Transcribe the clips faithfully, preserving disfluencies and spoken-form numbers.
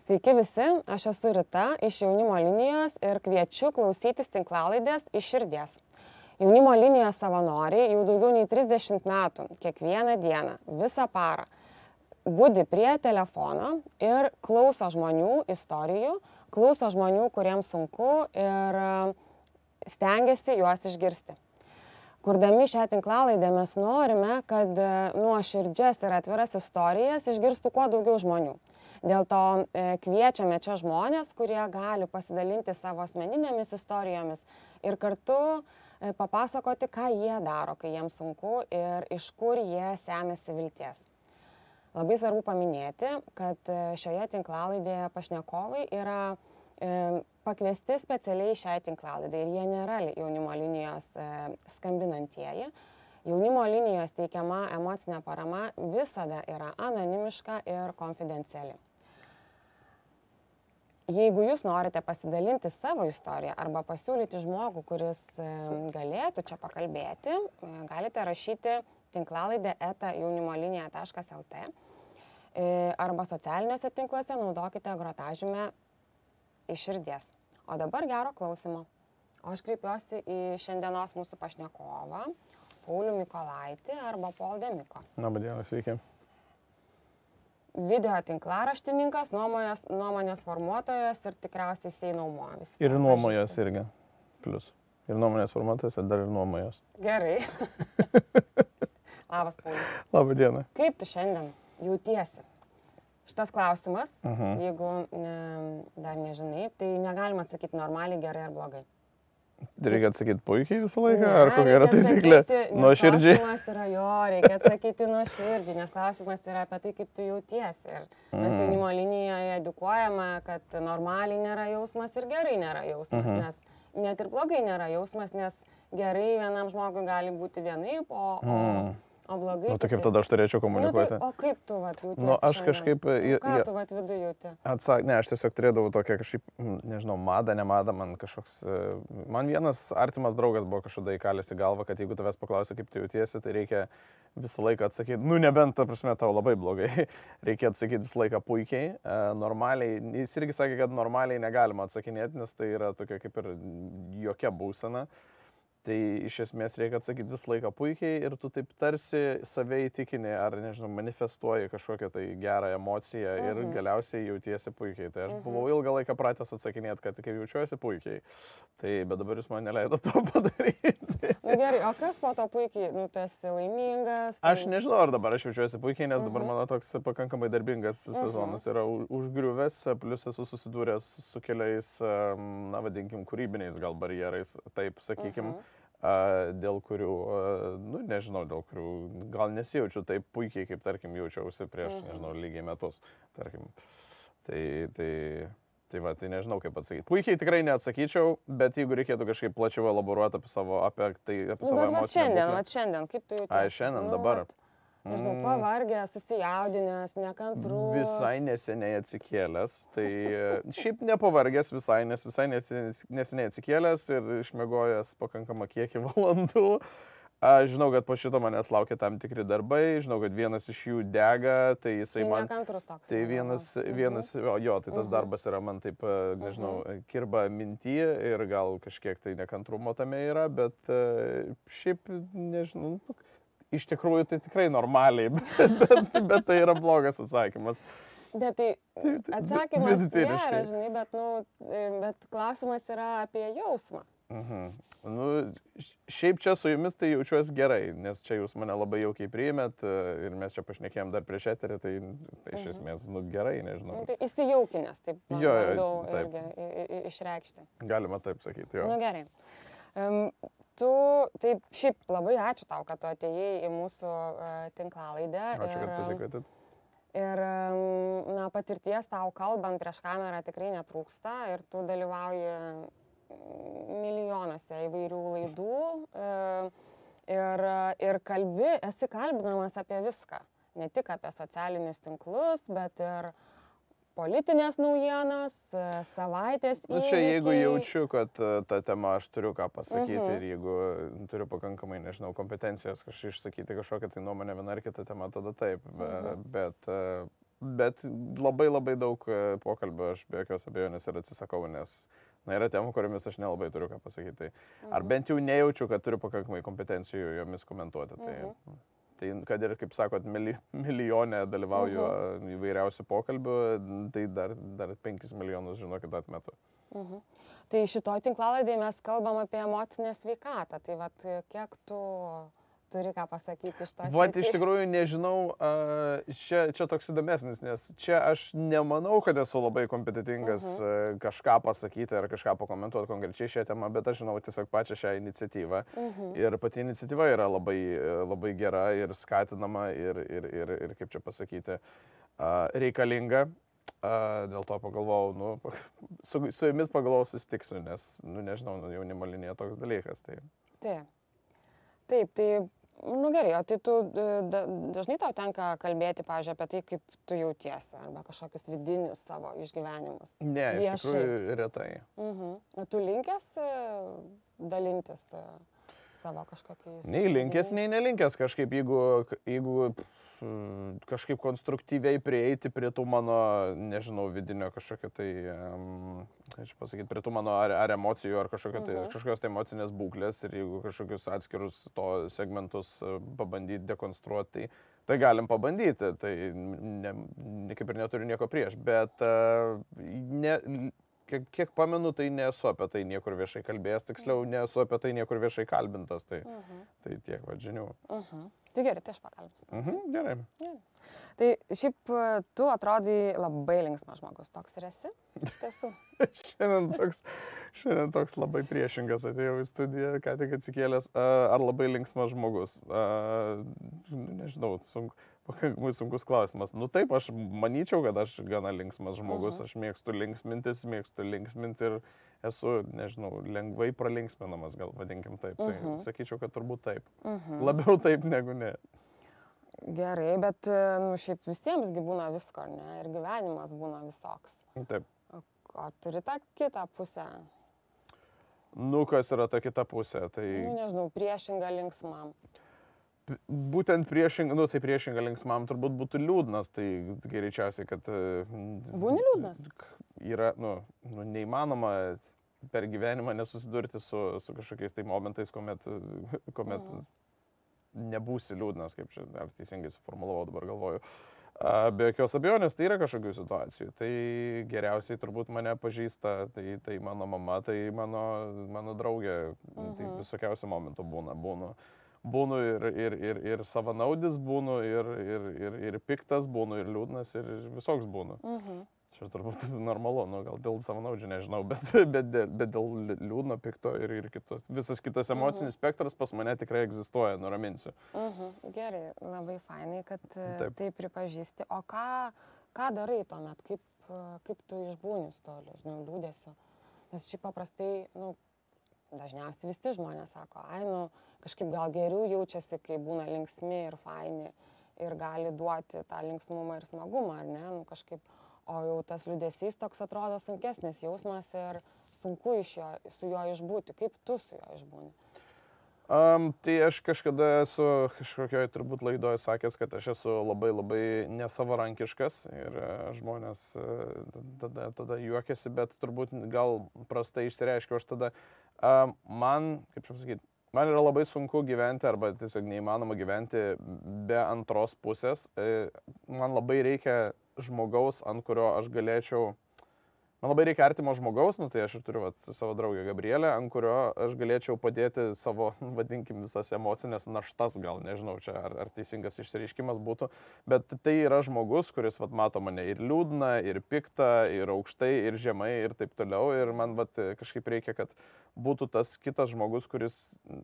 Sveiki visi, aš esu Rita iš Jaunimo linijos ir kviečiu klausytis tinklalaidės iš širdies. Jaunimo linijos savanoriai jau daugiau nei trisdešimt metų, kiekvieną dieną, visą parą, budi prie telefono ir klauso žmonių istorijų, klauso žmonių, kuriems sunku ir stengiasi juos išgirsti. Kurdami šią tinklalaidę mes norime, kad nuoširdžias ir atviras istorijas išgirstų kuo daugiau žmonių. Dėl to kviečiame čia žmonės, kurie gali pasidalinti savo asmeninėmis istorijomis ir kartu papasakoti, ką jie daro, kai jiems sunku ir iš kur jie semiasi vilties. Labai svarbu paminėti, kad šioje tinklalaidėje pašnekovai yra pakviesti specialiai šiai tinklalaidai ir jie nėra Jaunimo linijos skambinantieji. Jaunimo linijos teikiama emocinė parama visada yra anonimiška ir konfidenciali. Jeigu jūs norite pasidalinti savo istoriją arba pasiūlyti žmogų, kuris galėtų čia pakalbėti, galite rašyti tinklalaidę eta jaunimolinija taškas el tė arba socialiniuose tinkluose naudokite grotažymę iš širdies. O dabar gero klausimo. O aš kreipiuosi į šiandienos mūsų pašnekovą, Paulių Mykolaitį arba Paul de Miko. Labą dieną, sveiki. Video tinklaraštininkas, nuomonės, nuomonės formuotojas ir tikriausiai jisai nuomojas. Ir nuomojas irgi. Plius. Ir nuomonės formuotojas ir dar ir nuomojas. Gerai. Labas, Pauliu. Labą dieną. Kaip tu šiandien jautiesi? Šitas klausimas, uh-huh. jeigu ne, dar nežinai, tai negalima atsakyti normaliai, gerai ar blogai. Reikia atsakyti puikiai visą laiką, ne, ar kokia yra taisyklė? Nuoširdžiai. Klausimas yra jo, reikia atsakyti nuoširdžiai, nes klausimas yra apie tai, kaip tu jautiesi. Ir mes mm. Jaunimo linijoje edukuojame, kad normaliai nėra jausmas ir gerai nėra jausmas, mm-hmm. nes net ir blogai nėra jausmas, nes gerai vienam žmogui gali būti vienaip, o, mm. o, o blogai. Nu, tai kaip tada aš turėčiau komunikuoti? Nu, tai, o kaip tu vat, jautiesi? Nu, aš kažkaip... Nu, ką tu vat vidu jauti? Atsak... Ne, aš tiesiog turėdavau tokią kažkaip, nežinau, madą, nemadą, man kažkoks... Man vienas artimas draugas buvo kažkada įkalęs į galvą, kad jeigu tavęs paklausia, kaip tu jautiesi, tai reikia visą laiką atsakyti, nu nebent, ta prasme, tau labai blogai, reikia atsakyti visą laiką puikiai, normaliai, jis irgi sakė, kad normaliai negalima atsakinėti, nes tai yra tokia kaip ir jokia būsena. Tai iš esmės reikia atsakyti visą laiką puikiai ir tu taip tarsi save įtikini ar, nežinau, manifestuoji kažkokią tai gerą emociją ir uh-huh. galiausiai jautiesi puikiai. Tai aš uh-huh. buvau ilgą laiką pratęs atsakinėti, kad kaip jaučiuosi puikiai. Tai bet dabar jūs man neleido to padaryti. Na gerai, o kas po to puikiai? Nu, tu esi laimingas? Tai... Aš nežinau, ar dabar aš jaučiuosi puikiai, nes uh-huh. dabar mano toks pakankamai darbingas uh-huh. sezonas yra užgriuvęs, plus esu susidūręs su keliais, na vadinkim, kūrybiniais gal barjerais, taip sakykim. Uh-huh. Dėl kurių, nu nežinau, dėl kurių gal nesijaučiu taip puikiai, kaip tarkim jaučiausi prieš, mhm. nežinau, lygiai metus, tarkim. Tai, tai, tai va, tai nežinau kaip atsakyti. Puikiai tikrai neatsakyčiau, bet jeigu reikėtų kažkaip plačiau elaboruoti apie savo, apie tai, apie savo nu, emociją. Bet šiandien, bet šiandien, kaip tu jautiesi? Ai, šiandien, nu, dabar. Vat, nežinau, pavargęs, susijaudinęs, nekantrus. Visai neseniai atsikėlęs, tai šiaip nepavargęs visai, nes visai neseniai atsikėlęs ir išmiegojęs pakankamą kiekį valandų. Aš žinau, kad po šito manęs laukia tam tikri darbai, žinau, kad vienas iš jų dega, tai jisai tai man... Nekantrus toks. Tai vienas, vienas o, jo, tai tas darbas yra man taip, nežinau, kirba minty ir gal kažkiek tai nekantrumo tame yra, bet šiaip, nežinau... Iš tikrųjų, tai tikrai normaliai, bet, bet, bet tai yra blogas atsakymas. Bet tai atsakymas nėra, žinai, bet, nu, bet klausimas yra apie jausmą. Mhm. Nu, šiaip čia su jumis tai jaučiuosi gerai, nes čia jūs mane labai jaukiai priėmėt ir mes čia pašnekėjom dar prieš eterį, tai, tai iš esmės, nu, gerai, nežinau. Nu, tai įsijaukinęs, taip, man jo, bandau taip. irgi išreikšti. Galima taip sakyti, jo. Nu, gerai. Um, Tu, tai šiaip labai ačiū tau, kad tu atėjai į mūsų uh, tinklalaidę. Ačiū, ir, kad pasikvietėt. Ir, um, na, patirties tau kalbant prieš kamerą tikrai netrūksta ir tu dalyvauji milijonuose įvairių laidų uh, ir, ir kalbi, esi kalbinamas apie viską. Ne tik apie socialinius tinklus, bet ir politinės naujienas, savaitės įvykiai. Nu, čia jeigu jaučiu, kad tą temą aš turiu ką pasakyti uh-huh. ir jeigu turiu pakankamai, nežinau, kompetencijos kažkaip išsakyti kažkokią tai nuomonę vieną ar kitą temą, tada taip. Uh-huh. Bet bet labai labai daug pokalbio aš be jokios abejonės ir atsisakau, nes na, yra temų, kuriomis aš nelabai turiu ką pasakyti. Tai, mhm. Ar bent jau nejaučiu, kad turiu pakankamai kompetencijų jomis komentuoti. Tai, mhm. tai kad ir, kaip sakot, mili, milijonė dalyvauju mhm. įvairiausių pokalbių, tai dar, dar penkis milijonus, žinokit, atmetu. Mhm. Tai šitoj tinklalaidėje mes kalbam apie emocinę sveikatą. Tai vat, kiek tu turi ką pasakyti iš to? Vat, iš tikrųjų, nežinau, čia, čia toks įdomesnis, nes čia aš nemanau, kad esu labai kompetitingas uh -huh. kažką pasakyti ar kažką pakomentuoti konkrečiai šią temą, bet aš žinau tiesiog pačią šią iniciatyvą. Uh -huh. Ir pati iniciatyva yra labai, labai gera ir skatinama ir, ir, ir, ir kaip čia pasakyti, reikalinga. Dėl to pagalvojau, nu, su, su jumis pagalvojau susitiksiu, nes, nu, nežinau, nu, jaunimo linija toks dalykas. Tai... Taip. Taip, tai nu gerai, o tai tu da, dažnai tau tenka kalbėti, pavyzdžiui, apie tai, kaip tu jautiesi, arba kažkokius vidinius savo išgyvenimus? Ne, viešai. Iš tikrųjų retai. Mhm. O tu linkęs dalintis savo kažkokiais... Nei linkęs, nei nelinkęs kažkaip, jeigu, jeigu kažkaip konstruktyviai prieiti prie tų mano, nežinau, vidinio kažkokio tai, um, kaip pasakyti, prie tų mano ar, ar emocijų, ar kažkokio tai, uh-huh. kažkokios tai emocinės būklės ir jeigu kažkokius atskirus to segmentus pabandyti dekonstruoti, tai, tai galim pabandyti, tai ne, ne, kaip ir neturiu nieko prieš, bet uh, ne, kiek, kiek pamenu, tai nesu apie tai niekur viešai kalbėjęs, tiksliau nesu apie tai niekur viešai kalbintas, tai, uh-huh. tai tiek va žinių. Uh-huh. Tai gerai, tai aš pakalbėsiu. Mhm, gerai. Ja. Tai šiaip tu atrodai labai linksmas žmogus, toks ir esi, iš tiesų. šiandien, toks, šiandien toks labai priešingas atėjau į studiją, ką tik atsikėlęs. Ar labai linksmas žmogus? Nežinau, sunku, pakankamai sunkus klausimas. Nu taip, aš manyčiau, kad aš gana linksmas žmogus, uh-huh. aš mėgstu linksmintis, mėgstu linksminti ir esu, nežinau, lengvai pralinksminamas, gal vadinkim taip. Tai uh-huh. sakyčiau, kad turbūt taip. Uh-huh. Labiau taip negu ne. Gerai, bet nu, šiaip visiemsgi būna visko, ne? Ir gyvenimas būna visoks. Taip. O, o turi tą kitą pusę? Nu, kas yra ta kita pusė? Tai... Nu, nežinau, priešinga linksmam. Būtent priešinga, nu tai priešinga linksmam turbūt būtų liūdnas, tai greičiausiai, kad... Būni liūdnas? Yra, nu, nu neįmanoma per gyvenimą nesusidurti su, su kažkokiais tai momentais, kuomet, kuomet mm. nebūsi liūdnas, kaip čia, ar teisingai suformulavau, dabar galvoju. Be jokios abejonės, tai yra kažkokių situacijų. Tai geriausiai turbūt mane pažįsta, tai, tai mano mama, tai mano, mano draugė, mm-hmm. tai visokiausių momentų būna, būna. Būnu ir, ir, ir, ir savanaudis, būnu ir, ir, ir, ir piktas, būnu ir liūdnas, ir visoks būnu. Mhm. Čia turbūt normalu, nu, gal dėl savanaudžių nežinau, bet, bet, bet dėl liūdno, pikto ir, ir kitos. Visas kitas emocinis mhm. spektras pas mane tikrai egzistuoja, nuraminsiu. Mhm. Gerai, labai fainai, kad taip. Tai pripažįsti. O ką, ką darai tuomet, kaip, kaip tu išbūni su to liūdėsiu? Nes šiaip paprastai, nu, dažniausiai visi žmonės sako, ai, nu, kažkaip gal geriau jaučiasi, kai būna linksmi ir faini ir gali duoti tą linksmumą ir smagumą, ar ne, nu, kažkaip, o jau tas liūdesys toks atrodo sunkesnis jausmas ir sunku iš jo, su juo išbūti. Kaip tu su juo išbūni? Um, tai aš kažkada esu kažkokioj turbūt laidoje sakęs, kad aš esu labai labai nesavarankiškas ir uh, žmonės uh, tada, tada juokiasi, bet turbūt gal prastai išsireiškiau aš tada. Uh, man, kaip čia pasakyti, man yra labai sunku gyventi arba tiesiog neįmanoma gyventi be antros pusės. Uh, man labai reikia žmogaus, ant kurio aš galėčiau, man labai reikia artimo žmogaus, nu tai aš ir turiu vat, savo draugę Gabrielę, ant kurio aš galėčiau padėti savo, vadinkim, visas emocinės naštas, gal nežinau, čia ar, ar teisingas išsireiškimas būtų, bet tai yra žmogus, kuris vat, mato mane ir liūdną, ir piktą, ir aukštai, ir žemai, ir taip toliau, ir man vat, kažkaip reikia, kad būtų tas kitas žmogus, kuris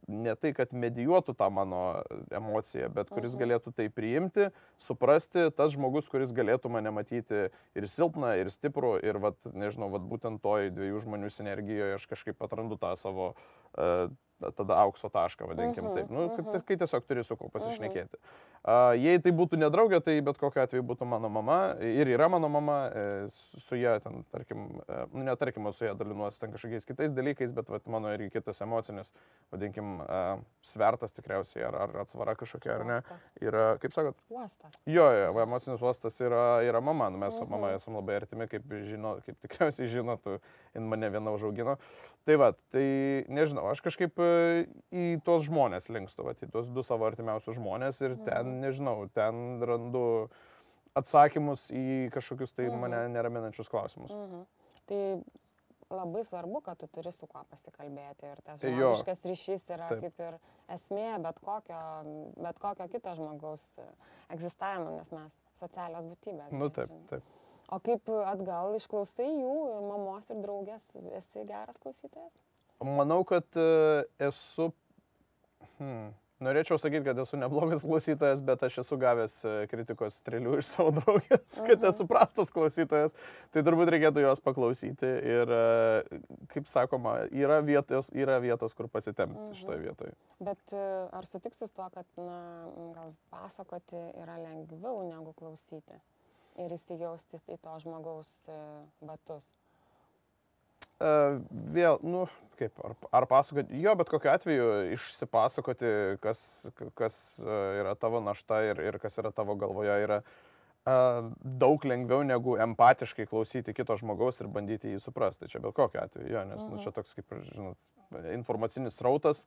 ne tai, kad medijuotų tą mano emociją, bet kuris galėtų tai priimti, suprasti, tas žmogus, kuris galėtų mane matyti ir silpną, ir stiprų, ir, vat, nežinau, vat, būtent toj dviejų žmonių sinergijoje aš kažkaip atrandu tą savo, uh, tada aukso tašką, vadinkim Mhm, taip. Nu, mhm. kai, kai tiesiog turi su kuo pasišnekėti. Uh, jei tai būtų nedraugė, tai bet kokiu atveju būtų mano mama ir yra mano mama, e, su su ja ten, tarkim, e, nu, netarkim, su ja dalinuosi ten kažkokiais kitais dalykais, bet vat, mano irgi kitas emocinis, vadinkim, e, svertas tikriausiai, ar, ar atsvara kažkokia, ar ne, Uostas. yra, kaip sakot? Uostas. Jo, jo, va, emocinis uostas yra, yra mama, nu, mes su mama Mhm. esame labai artimi, kaip, žino, kaip tikriausiai žinot, jin mane viena užaugino. Tai va, tai nežinau, aš kažkaip e, į tuos žmonės linkstu, va, į tuos du savo artimiausius žmonės ir ten, Mhm. nežinau, ten randu atsakymus į kažkokius tai Mhm. mane neraminančius klausimus. Mhm. Tai labai svarbu, kad tu turi su kuo pasikalbėti ir tas Tai jo. žmogiškas ryšys yra Taip. kaip ir esmė bet kokio, bet kokio kito žmogaus egzistavimo, nes mes socialios būtybės. Nu gi, taip, žinai. taip. O kaip atgal išklausai jų, ir mamos ir draugės, esi geras klausytojas? Manau, kad e, esu, hmm, norėčiau sakyti, kad esu neblogas klausytojas, bet aš esu gavęs e, kritikos strėlių iš savo draugės, kad Mhm. esu prastas klausytojas, tai turbūt reikėtų jos paklausyti ir, e, kaip sakoma, yra vietos, yra vietos kur pasitempti Mhm. šitoje vietoje. Bet e, ar sutiksi su tuo, kad na, gal pasakoti yra lengviau negu klausyti ir įsijausti į to žmogaus e, batus? Uh, vėl, nu, kaip, ar, ar pasakoti, jo, bet kokiu atveju išsipasakoti, kas, kas uh, yra tavo našta ir, ir kas yra tavo galvoje, yra uh, daug lengviau negu empatiškai klausyti kito žmogaus ir bandyti jį suprasti. Čia bet kokiu atveju, jo, nes Mhm. nu, čia toks, kaip, žinot, informacinis srautas.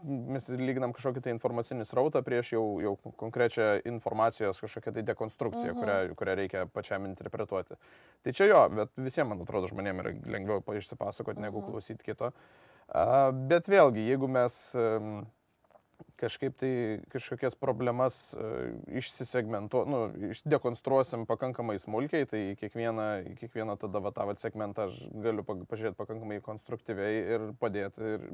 Mes lyginam kažkokį tai informacinį srautą prieš jau, jau konkrečią informacijos kažkokią tai dekonstrukciją, Mhm. kurią, kurią reikia pačiam interpretuoti. Tai čia jo, bet visiems, man atrodo, žmonėms yra lengviau išsipasakoti negu Mhm. klausyti kito. A, bet vėlgi, jeigu mes um, kažkaip tai kažkokias problemas uh, išsisegmentuosim, nu, dekonstruosim pakankamai smulkiai, tai į kiekvieną, į kiekvieną tada va, tą segmentą aš galiu pažiūrėti pakankamai konstruktyviai ir padėti. Ir,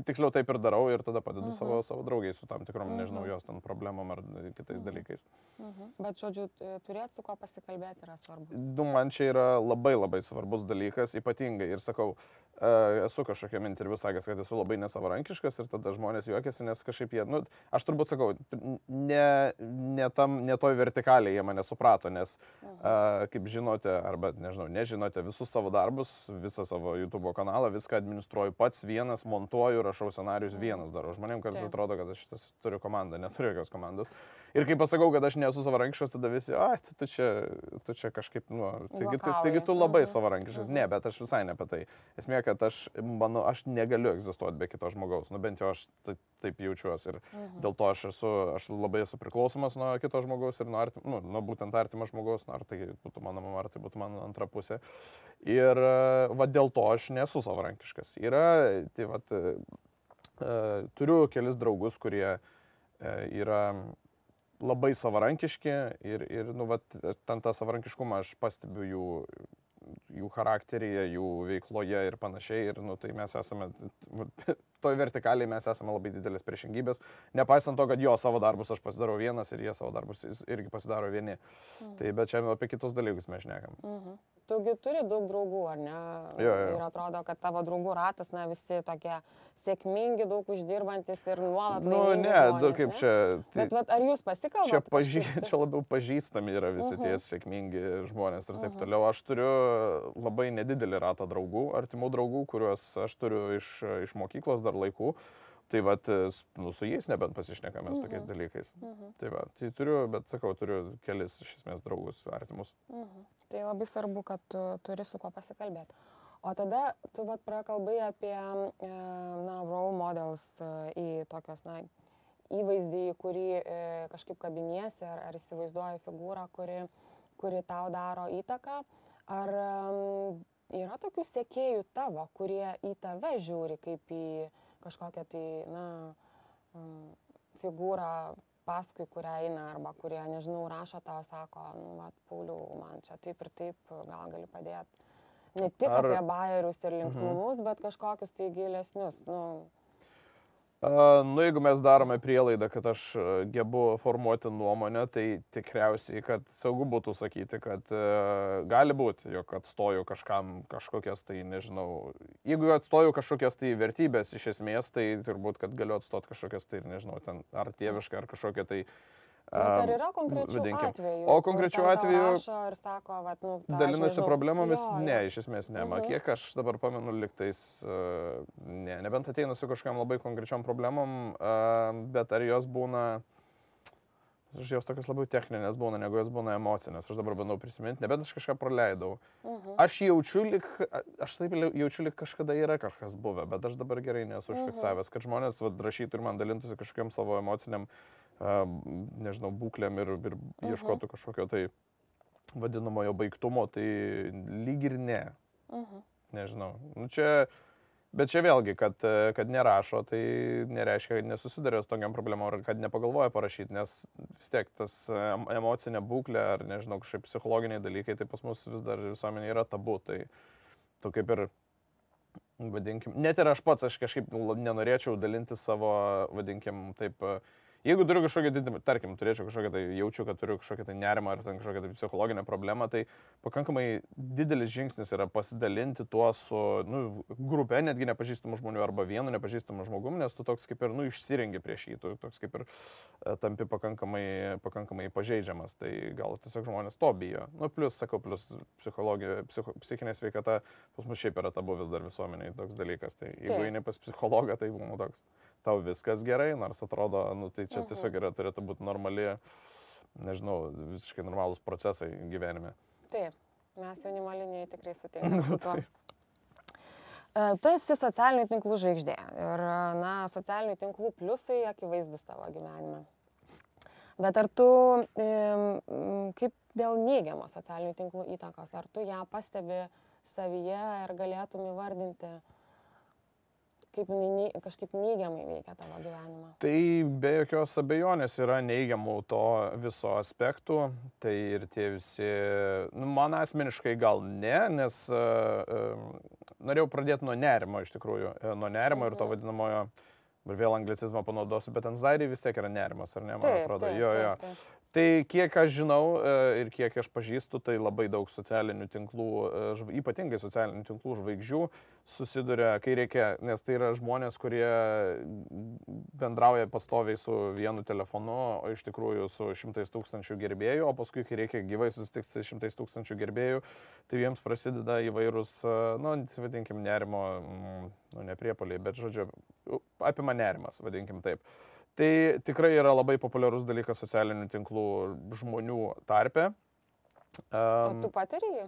tiksliau taip ir darau ir tada padedu Mhm. savo, savo draugiai su tam tikrom, Mhm. nežinau, jos ten problemom ar kitais Mhm. dalykais. Mhm. Bet, žodžiu, turėti su kuo pasikalbėti yra svarbu. Nu, man čia yra labai labai svarbus dalykas, ypatingai. Ir sakau, uh, esu kažkokiam interviu sakęs, kad esu labai nesavarankiškas ir tada žmonės juokiasi, nes kažkaip jie, nu, aš turbūt sakau, ne, ne, tam, ne toj vertikaliai jie mane suprato, nes, Mhm. uh, kaip žinote, arba nežinau, nežinote, visus savo darbus, visą savo YouTube kanalą, viską administruoju pats vienas, montuoju, rašau scenarius Mhm. vienas darau. Žmonėms kartais Taip. atrodo, kad aš šitas turiu komandą, neturiu jokios komandos. Ir kai pasakau, kad aš nesu savarankiškas, tada visi, ai, tu čia, tu čia kažkaip, nu, taigi tu, taigi tu labai Juokauji. savarankiškas. Mhm. Ne, bet aš visai ne apie tai. Esmė, kad aš, manau, aš negaliu egzistuoti be kito žmogaus, nu bent jau aš ta- taip jaučiuosi. Ir Mhm. dėl to aš esu, aš labai esu priklausomas nuo kito žmogaus ir nuo, artim, nu, nuo būtent artimo žmogaus, nu, ar tai būtų mano mama, ar tai būtų mano antra pusė. Ir va dėl to aš nesu savarankiškas. Yra, tai va, uh, turiu kelis draugus, kurie uh, yra labai savarankiški ir, ir nu, vat, ten tą savarankiškumą aš pastebiu jų, jų charakteryje, jų veikloje ir panašiai. Ir nu, tai mes esame, toj vertikaliai mes esame labai didelės priešingybės. Nepaisant to, kad jo savo darbus aš pasidarau vienas ir jie savo darbus irgi pasidaro vieni. Mhm. Tai bet čia apie kitus dalykus mes šnekam. Mhm. Tugi turi daug draugų, ar ne? Jo, jo. Ir atrodo, kad tavo draugų ratas, na, visi tokie sėkmingi, daug uždirbantis ir nuolat Nu, laimingi ne, žmonės, du kaip ne? čia. Tai, Bet vat, ar jūs pasikalbate? čia, pažy, čia labiau pažįstami yra visi Mhm. tie sėkmingi žmonės ir taip Mhm. toliau. Aš turiu labai nedidelį ratą draugų, artimų draugų, kuriuos aš turiu iš, iš mokyklos dar laikų. Tai vat, nu, su jais nebent pasišnekame Mhm. tokiais dalykais. Mhm. Tai va, tai turiu, bet sakau, turiu kelis iš esmės draugus artimus. Mhm. Tai labai svarbu, kad tu turi su kuo pasikalbėti. O tada tu vat prakalbai apie, e, na, role models e, į tokios, na, įvaizdį, į kurį e, kažkaip kabiniesi, ar, ar įsivaizduoji figūrą, kuri, kuri tau daro įtaką. Ar um, yra tokių sekėjų tavo, kurie į tave žiūri kaip į kažkokią tai, na, um, figūrą, paskui kurią eina, arba kurie, nežinau, rašo tau, sako, nu, va, Pauliau, man čia taip ir taip, gal gali padėti. Ne tik Ar... apie bajerius ir linksmumus, mhm. bet kažkokius tai gilesnius, nu. Uh, nu, jeigu mes darome prielaidą, kad aš gebu formuoti nuomonę, tai tikriausiai, kad saugu būtų sakyti, kad uh, gali būti, jog atstoju kažkam kažkokias tai, nežinau, jeigu atstoju kažkokias tai vertybės iš esmės, tai turbūt, kad galiu atstoti kažkokias tai, nežinau, ten ar tėvišką, ar kažkokią tai Bet ar yra konkrečių vadinkim. atvejų? O konkrečių atvejų Ir sako, vat, nu, ta, dalinasi problemomis? jo, Ne, jo. iš esmės ne. Mhm. Man kiek aš dabar pamenu liktais, uh, ne, nebent ateina su kažkam labai konkrečiom problemom, uh, bet ar jos būna, aš jos tokios labiau techninės būna, negu jos būna emocinės. Aš dabar bandau prisiminti, nebent aš kažką praleidau. Mhm. Aš jaučiu, lik, aš taip jaučiu, lik kažkada yra kažkas buvę, bet aš dabar gerai nesu užfiksavęs, kad žmonės vad, rašytų ir man dalintųsi kažkokiam savo emociniam Uh, nežinau, būklėm ir, ir uh-huh. ieškotų kažkokio tai vadinamojo baigtumo, tai lyg ir ne. Uh-huh. Nežinau. Nu, čia, bet čia vėlgi, kad, kad nerašo, tai nereiškia, kad nesusiduria su tokiam problemom ar kad nepagalvoja parašyti, nes vis tiek tas emocinė būklė ar, nežinau, kažkaip psichologiniai dalykai, tai pas mus vis dar visuomenė yra tabu. Tai tu kaip ir, vadinkim, net ir aš pats, aš kažkaip nenorėčiau dalinti savo, vadinkim, taip, jeigu turiu kažkokią, tarkim, turėčiau kažkokią tai, jaučiu, kad turiu kažkokią tai nerimą ar ten kažkokią tai psichologinę problemą, tai pakankamai didelis žingsnis yra pasidalinti tuo su, nu, grupė netgi nepažįstamų žmonių arba vienu nepažįstamu žmogumi, nes tu toks kaip ir, nu, išsirengi prieš jį, tu toks kaip ir tampi pakankamai, pakankamai pažeidžiamas, tai gal tiesiog žmonės to bijo. Nu, plus, sakau, plus psichologija, psicho, psichinė sveikata, pas mus šiaip yra tabu vis dar visuomeniai toks dalykas, tai jeigu eini pas psichologą, tai būna toks. Tau viskas gerai, nors atrodo, nu, tai čia tiesiog yra, turėtų būti normali, nežinau, visiškai normalūs procesai gyvenime. Taip, mes jaunimo linijai tikrai sutinkame su tuo. Tu esi socialinių tinklų žvaigždė ir, na, socialinių tinklų pliusai akivaizdus tavo gyvenime. Bet ar tu, kaip dėl neigiamos socialinių tinklų įtakos, ar tu ją pastebi savyje ir galėtum įvardinti, kaip kažkaip neigiamai veikia tavo gyvenimą? Tai be jokios abejonės yra neigiamų to viso aspektų. Tai ir tie visi, nu, man asmeniškai gal ne, nes uh, uh, norėjau pradėti nuo nerimo iš tikrųjų. Nuo nerimo mhm. ir to vadinamojo, ir vėl anglicizmą panaudosiu, bet anxiety vis tiek yra nerimas, ar ne, man taip, atrodo. Taip, jo, taip, jo. taip. Tai kiek aš žinau ir kiek aš pažįstu, tai labai daug socialinių tinklų, ypatingai socialinių tinklų žvaigždžių susiduria, kai reikia, nes tai yra žmonės, kurie bendrauja pastoviai su vienu telefonu, o iš tikrųjų su šimtais tūkstančių gerbėjų, o paskui, kai reikia gyvai susitikti su šimtais tūkstančių gerbėjų, tai jiems prasideda įvairūs, nu, vadinkim, nerimo, nu, ne priepuoliai, bet, žodžiu, apima nerimas, vadinkim taip. Tai tikrai yra labai populiarus dalykas socialinių tinklų žmonių tarpe. Um, o tu patiri jį?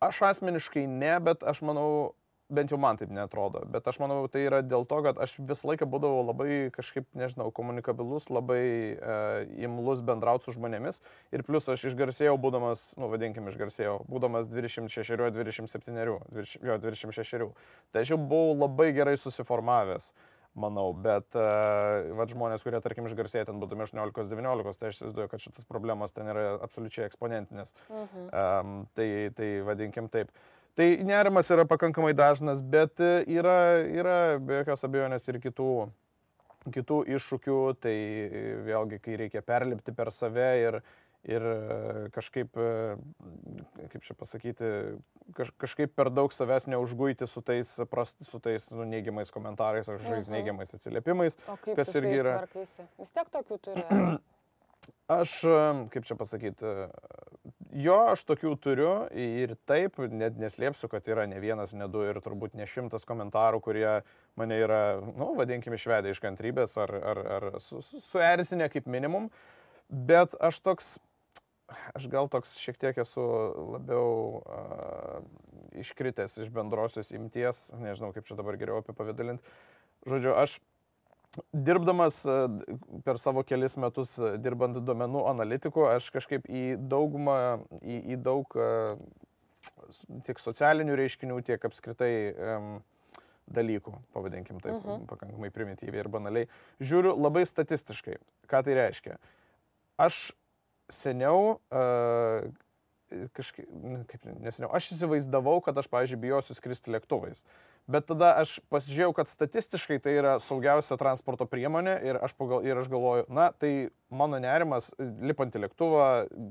Aš asmeniškai ne, bet aš manau, bent jau man taip netrodo, bet aš manau, tai yra dėl to, kad aš visą laiką būdavau labai kažkaip, nežinau, komunikabilus, labai uh, imlus bendrauti su žmonėmis ir plus aš išgarsėjau, būdamas, nu vadinkim, išgarsėjau, būdamas dvidešimt šešių, dvidešimt septynių, jo, dvidešimt šešių. Tai aš jau buvau labai gerai susiformavęs. Manau, bet uh, vat, žmonės, kurie, tarkim, išgarsėja ten būdami aštuoniolikos devyniolikos, tai aš įsivaizduoju, kad šitas problemas ten yra absoliučiai eksponentinės. Uh-huh. Um, tai, tai vadinkim taip. Tai nerimas yra pakankamai dažnas, bet yra, yra be jokios abejonės ir kitų, kitų iššūkių, tai vėlgi, kai reikia perlipti per save ir, ir kažkaip, kaip čia pasakyti, kaž, kažkaip per daug savęs neužguiti su tais, prast, su tais nu, neigiamais komentarais ar kažkokiais uh-huh. neigiamais atsiliepimais. O kaip kas tu irgi yra... tvarkaisi? Vis tiek tokių turi. Aš, kaip čia pasakyti, jo, aš tokių turiu ir taip, net neslėpsiu, kad yra ne vienas, ne du ir turbūt ne šimtas komentarų, kurie mane yra, nu, vadinkim, išvedę iš kantrybės ar, ar, ar su, su, suerzinę kaip minimum, bet aš toks, aš gal toks šiek tiek esu labiau uh, iškritęs iš bendrosios imties, nežinau, kaip čia dabar geriau apipavydalinti. Žodžiu, aš dirbdamas per savo kelis metus, dirbant duomenų analitikų, aš kažkaip į daugumą, į, į daug tiek socialinių reiškinių, tiek apskritai um, dalykų, pavadinkim taip, uh-huh. pakankamai primityviai ir banaliai, žiūriu labai statistiškai. Ką tai reiškia? Aš seniau uh, kažkaip, kaip neseniau, aš įsivaizdavau, kad aš, pavyzdžiui, bijosiu skristi lėktuvais. Bet tada aš pasižiūrėjau, kad statistiškai tai yra saugiausia transporto priemonė ir aš, pagal, ir aš galvoju, na, tai mano nerimas, lipant į lėktuvą,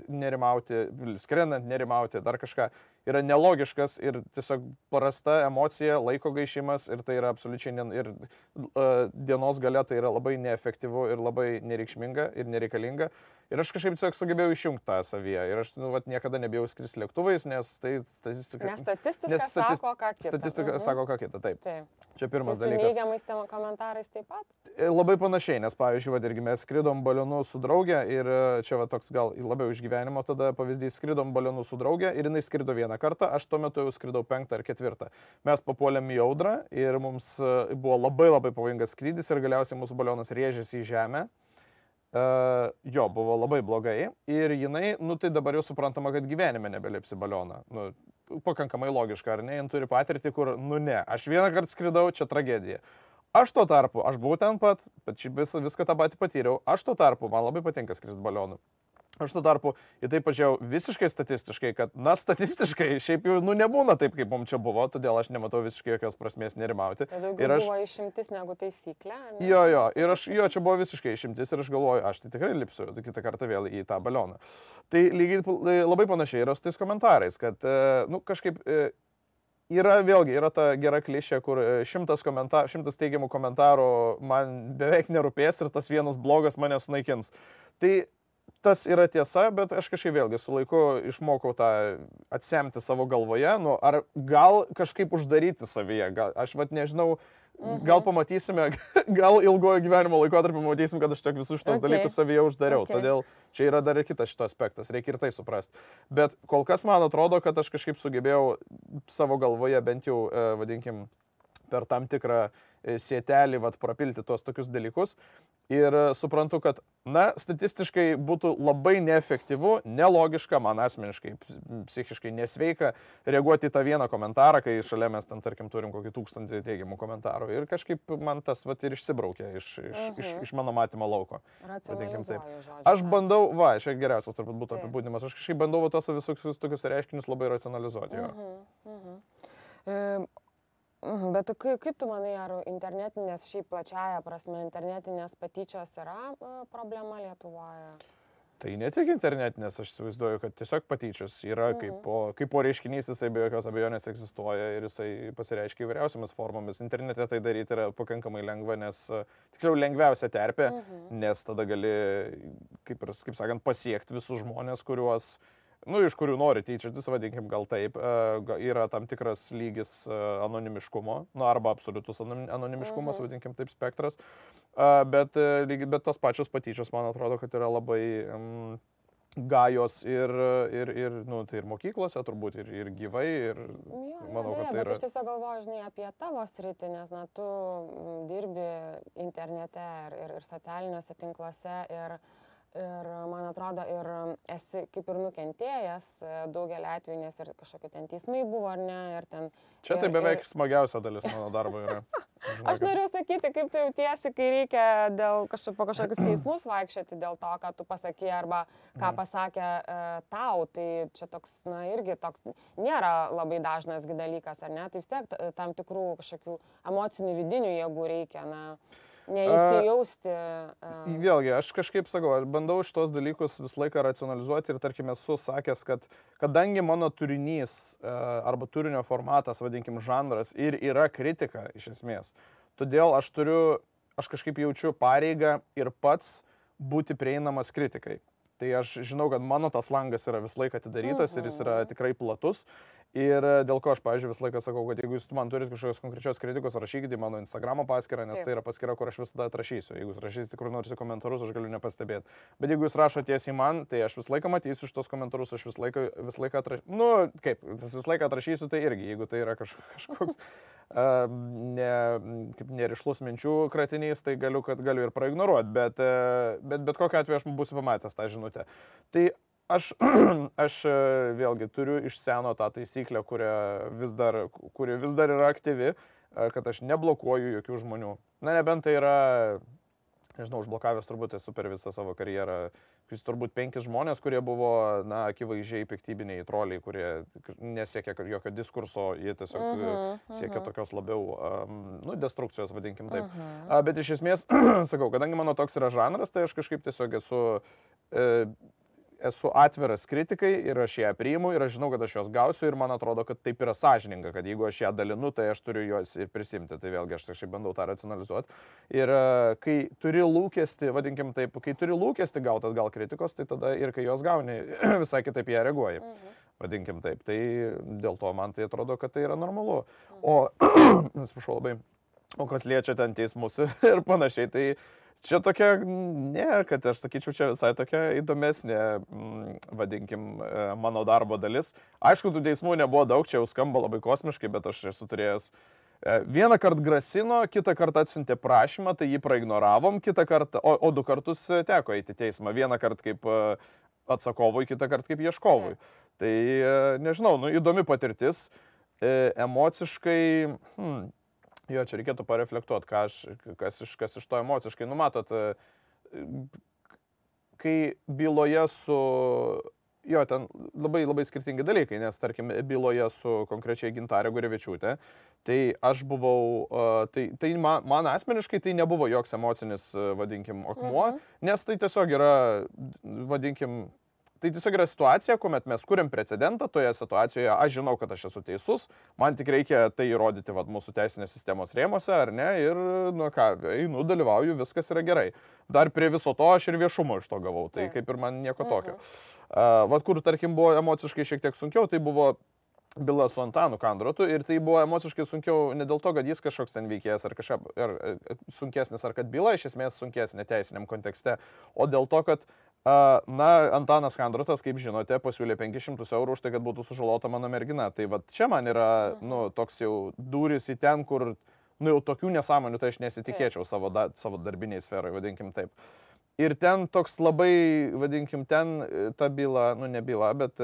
nerimauti, skrendant, nerimauti, dar kažką, yra nelogiškas ir tiesiog prasta emocija, laiko gaišimas ir tai yra absoliučiai, ne, ir uh, dienos gale tai yra labai neefektyvu ir labai nereikšminga ir nereikalinga. Ir aš kažkaip tiesiog sugebėjau išjungti tą savyje. Ir aš nu, vat, niekada nebijau skristi lėktuvais, nes tai statistika... Nes statistika nes statis, sako ką kitą. Statistika mhm. sako ką kitą, taip. taip. Čia pirmas tai dalykas. Su neigiamais komentarais taip pat? Labai panašiai, nes pavyzdžiui, vat, irgi mes skridom balionu su draugė ir čia va, toks gal labiau iš gyvenimo tada pavyzdys, skridom balionu su draugė ir jinai skrido vieną kartą, aš tuo metu jau skridau penktą ar ketvirtą. Mes papuolėm į audrą ir mums buvo labai labai pavojingas skrydis ir galiausiai mūsų balionas rėžėsi į žemę. Uh, jo, buvo labai blogai ir jinai, nu tai dabar jau suprantama, kad gyvenime nebelipsi balioną. Nu, pakankamai logiška, ar ne? Jin turi patirtį, kur, nu ne, aš vieną kartą skridau, čia tragedija. Aš tuo tarpu, aš buvau ten pat, bet visą, viską tą patį patyriau, aš tuo tarpu, man labai patinka skristi balionu. Aš tuo tarpu į tai pažiūrėjau visiškai statistiškai, kad, na, statistiškai šiaip jau, nu, nebūna taip, kaip mums čia buvo, todėl aš nematau visiškai jokios prasmės nerimauti. Tai daugiau aš... buvo išimtis negu taisyklė? Ne? Jo, jo, ir aš, jo, čia buvo visiškai išimtis ir aš galvoju, aš tai tikrai lipsiu kitą kartą vėl į tą balioną. Tai lygiai labai panašiai yra su tais komentarais, kad, nu, kažkaip... Yra vėlgi, yra ta gera klišė, kur šimtas, komentar, šimtas teigiamų komentarų man beveik nerūpės ir tas vienas blogas mane sunaikins. Tai tas yra tiesa, bet aš kažkaip vėlgi su laiku išmokau tą atsemti savo galvoje, nu, ar gal kažkaip uždaryti savyje, gal, aš vat nežinau, mhm. gal pamatysime, gal ilgojo gyvenimo laikotarpį pamatysim, kad aš tiek visus šitos okay. dalykus savyje uždariau, okay. todėl čia yra dar ir kitas šito aspektas, reikia ir tai suprasti. Bet kol kas man atrodo, kad aš kažkaip sugebėjau savo galvoje bent jau, vadinkim, per tam tikrą sietelį vat, propilti tuos tokius dalykus. Ir suprantu, kad, na, statistiškai būtų labai neefektyvu, nelogiška, man asmeniškai, psichiškai nesveika reaguoti į tą vieną komentarą, kai šalia mes ten, tarkim, turim kokį tūkstantį teigiamų komentarų. Ir kažkaip man tas vat, ir išsibraukė iš, iš, uh-huh. iš, iš mano matymo lauko. Aš bandau, va, čia geriausias turbūt būtų apibūdinimas, aš kažkaip bandau va, tos visus tokius reiškinius labai racionalizuoti. Uh-huh. Uh-huh. Um. Bet kaip, kaip tu manai, ar internetinės, šiaip plačiaja prasme, internetinės patyčios yra problema Lietuvoje? Tai ne tik internetinės, aš įsivaizduoju, kad tiesiog patyčios yra mhm. kaip, po, kaip po reiškinys, jisai be jokios abejonės egzistuoja ir jisai pasireiškia įvairiausiamis formomis. Internete tai daryti yra pakankamai lengva, nes, tiksliau, lengviausia terpė, mhm. nes tada gali, kaip, kaip sakant, pasiekti visus žmonės, kuriuos nu, iš kurių nori tyčiotis, vadinkim, gal taip, yra tam tikras lygis anonimiškumo, nu, arba absoliutus anonimiškumas, mhm. vadinkim, taip spektras, bet, bet tos pačios patyčios, man atrodo, kad yra labai um, gajos ir, ir, ir, nu, tai ir mokyklose, turbūt, ir, ir gyvai, ir jo, manau, jo, kad tai yra... Bet aš tiesiog galvoju, žinai, apie tavo sritį, nes, na, tu dirbi internete ir, ir, ir socialiniuose tinkluose ir... Ir man atrodo, ir esi kaip ir nukentėjęs daugelį atvejų, nes ir kažkokie ten teismai buvo, ar ne, ir ten... Čia ir, tai beveik ir... smagiausia dalis mano darbo yra. Žinai, aš noriu sakyti, kaip tu jautiesi, kai reikia dėl kažko, po kažkokius teismus vaikščioti dėl to, ką tu pasakė arba ką pasakė e, tau. Tai čia toks, na, irgi toks nėra labai dažnas dalykas, ar ne? Tai vis tiek tam tikrų kažkokių emocinių vidinių jėgų reikia, na... Neįsijausti. Uh... Vėlgi, aš kažkaip sakau, aš bandau šitos dalykus visą laiką racionalizuoti ir tarkim esu sakęs, kad kadangi mano turinys uh, arba turinio formatas, vadinkim, žanras ir yra kritika iš esmės, todėl aš turiu, aš kažkaip jaučiu pareigą ir pats būti prieinamas kritikai. Tai aš žinau, kad mano tas langas yra visą laiką atidarytas uh-huh. ir jis yra tikrai platus. Ir dėl ko aš, pavyzdžiui, visą laiką sakau, kad jeigu jūs man turite kažkokios konkrečios kritikos, rašykite į mano Instagramo paskyrą, nes Taip. Tai yra paskyra, kur aš visada atrašysiu. Jeigu jūs rašysite kur nors į komentarus, aš galiu nepastebėti. Bet jeigu jūs rašote tiesiai man, tai aš visą laiką matysiu šitos komentarus, aš visą laiką, visą laiką atrašysiu. Nu, kaip, visą laiką atrašysiu, tai irgi, jeigu tai yra kažkoks uh, ne, kaip nerišlus minčių kratinys, tai galiu, kad galiu ir praignoruoti. Bet, uh, bet, bet kokiu atveju aš būsiu pamatęs tą žinutę. Tai Aš, aš vėlgi turiu iš seno tą taisyklę, kuri vis dar, kuri vis dar yra aktyvi, kad aš neblokuoju jokių žmonių. Na, nebent tai yra, nežinau, užblokavęs turbūt esu per visą savo karjerą Jis turbūt penkis žmonės, kurie buvo, na, akivaizdžiai piktybiniai troliai, kurie nesiekia jokio diskurso, jie tiesiog uh -huh, uh -huh. siekia tokios labiau, um, nu, destrukcijos, vadinkim taip. Uh -huh. uh, bet iš esmės, sakau, kadangi mano toks yra žanras, tai aš kažkaip tiesiog esu... E, esu atviras kritikai ir aš ją priimu ir aš žinau, kad aš jos gausiu ir man atrodo, kad taip yra sąžininga, kad jeigu aš ją dalinu, tai aš turiu jos ir prisimti. Tai vėlgi aš kažkaip bandau tą racionalizuoti. Ir kai turi lūkesti, vadinkim taip, kai turi lūkesti gauti atgal kritikos, tai tada ir kai jos gauni, visai kitaip ją reaguoji. Mhm. Vadinkim taip. Tai dėl to man tai atrodo, kad tai yra normalu. O, atsiprašau labai, o kas liečia ten teismus ir panašiai, tai čia tokia, ne, kad aš sakyčiau, čia visai tokia įdomesnė, vadinkim, mano darbo dalis. Aišku, tų teismų nebuvo daug, čia jau skamba labai kosmiškai, bet aš esu turėjęs. Vieną kartą grasino, kitą kartą atsiuntė prašymą, tai jį praignoravom, kitą kartą, o, o du kartus teko eiti teismą. Vieną kartą kaip atsakovui, kitą kartą kaip ieškovui. Tai nežinau, nu, įdomi patirtis, emociškai... Hmm, Jo, čia reikėtų pareflektuoti, kas, kas, iš, kas iš to emociškai. Numatot, kai byloje su... Jo, ten labai labai skirtingi dalykai, nes, tarkim, byloje su konkrečiai Gintarė Gurevičiūtė, tai aš buvau... Tai, tai man, man asmeniškai tai nebuvo joks emocinis, vadinkim, akmuo, mhm. nes tai tiesiog yra, vadinkim... Tai tiesiog yra situacija, kuomet mes kuriam precedentą, toje situacijoje aš žinau, kad aš esu teisus, man tik reikia tai įrodyti vat, mūsų teisinės sistemos rėmose, ar ne, ir, nu ką, einu, dalyvauju, viskas yra gerai. Dar prie viso to aš ir viešumo iš to gavau, tai kaip ir man nieko tokio. Uh, vat kur, tarkim, buvo emociškai šiek tiek sunkiau, tai buvo byla su Antanu Kandrotu ir tai buvo emociškai sunkiau ne dėl to, kad jis kažkoks ten veikėjas ar kažkaip ar, ar, sunkesnis, ar kad byla iš esmės sunkesnė teisiniam kontekste, o dėl to, kad na, Antanas Kandrotas, kaip žinote, pasiūlė penkis šimtus eurų už tai, kad būtų sužalota mano mergina. Tai va čia man yra, nu, toks jau durys į ten, kur, nu, jau tokių nesąmonių, tai aš nesitikėčiau savo, da, savo darbiniai sferai, vadinkim taip. Ir ten toks labai, vadinkim, ten ta byla, nu, ne byla, bet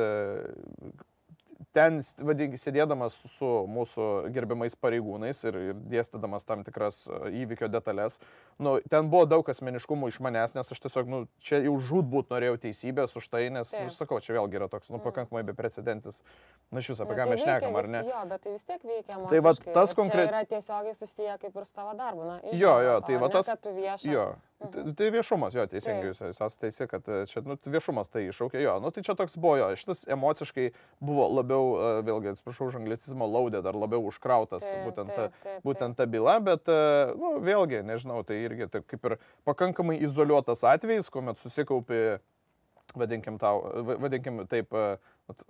ten, vadinkim, sėdėdamas su mūsų gerbiamais pareigūnais ir, ir dėstydamas tam tikras įvykio detalės, nu, ten buvo daug asmeniškumų iš manęs, nes aš tiesiog, nu, čia jau žūtbūt norėjau teisybės už tai, nes, nu, sakau, čia vėlgi yra toks, nu, pakankamai beprecedentis, na, iš viso, apie ką mes šnekam, ar ne? Jo, bet tai vis tiek veikia emociškai. Tai va, tas konkrečiai... Čia yra tiesiogiai susiję kaip ir su tavo darbu, na, iš jo, jo, to, tai va tas... Ne, kad tu viešas. Jo. Tai, tai viešumas, jo, teisingai, jūs esate teisi, kad čia, nu, viešumas tai iššaukė, jo, nu, tai čia toks buvo, jo, šitas emociškai buvo labiau, vėlgi, atsiprašau, už anglicizmo laudę, dar labiau užkrautas taip, būtent, taip, taip, taip. būtent ta byla, bet, nu, vėlgi, nežinau, tai irgi taip, kaip ir pakankamai izoliuotas atvejis, kuomet susikaupi, vadinkim, tau, vadinkim taip,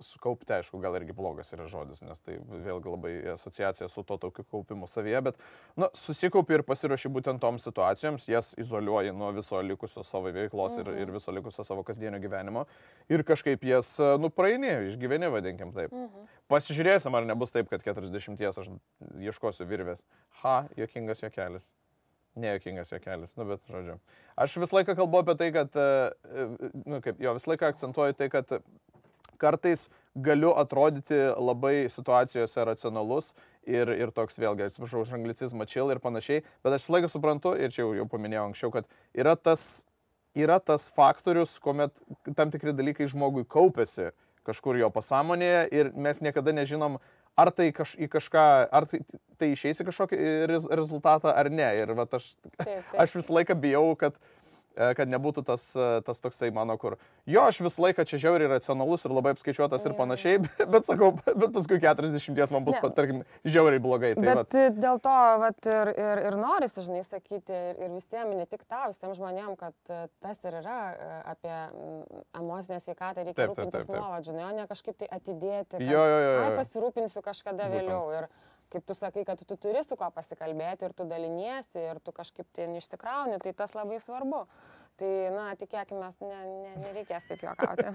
sukaupti, aišku, gal irgi blogas yra žodis, nes tai vėlgi labai asociacija su to tokiu kaupimu savyje, bet, nu, susikaupi ir pasiruoši būtent toms situacijoms, jas izoliuoji nuo viso likusio savo veiklos mhm. ir, ir viso likusio savo kasdienio gyvenimo ir kažkaip jas, nu, praeini, išgyveni, vadinkim taip. Mhm. Pasižiūrėsim, ar nebus taip, kad keturiasdešimties aš ieškosiu virvės. Ha, juokingas juokelis. Nejuokingas juokelis, nu, bet, žodžiu. Aš visą laiką kalbu apie tai, kad, nu, kaip, jo, visą laiką akcentuoju tai, kad kartais galiu atrodyti labai situacijose racionalus ir, ir toks vėlgi, atsiprašau, už anglicizmą chill ir panašiai, bet aš visą laiką suprantu, ir čia jau, jau paminėjau anksčiau, kad yra tas, yra tas faktorius, kuomet tam tikri dalykai žmogui kaupiasi kažkur jo pasąmonėje ir mes niekada nežinom, ar tai kaž, į kažką, ar tai, tai išeis į kažkokį rez, rezultatą ar ne. Ir vat aš, taip, taip. aš visą laiką bijau, kad kad nebūtų tas, tas toksai mano, kur jo, aš visą laiką čia žiauriai racionalus ir labai apskaičiuotas ir panašiai, bet, bet sakau, bet paskui keturiasdešimties man bus, pat, tarkim, žiauriai blogai. Tai bet vat. Dėl to vat, ir, ir, ir norisi, žinai, sakyti, ir, ir visiems, ne tik tau, visiems žmonėms, kad tas ir yra apie emocinę sveikatą, reikia taip, rūpintis nuolat, žinai, o ne kažkaip tai atidėti, kad, jo, jo, jo, jo. ai, pasirūpinsiu kažkada Būtent. vėliau. Ir, kaip tu sakai, kad tu turi su kuo pasikalbėti ir tu daliniesi ir tu kažkaip tai neišsikrauni, tai tas labai svarbu. Tai, na, tikėkime, ne, ne, nereikės taip juokauti.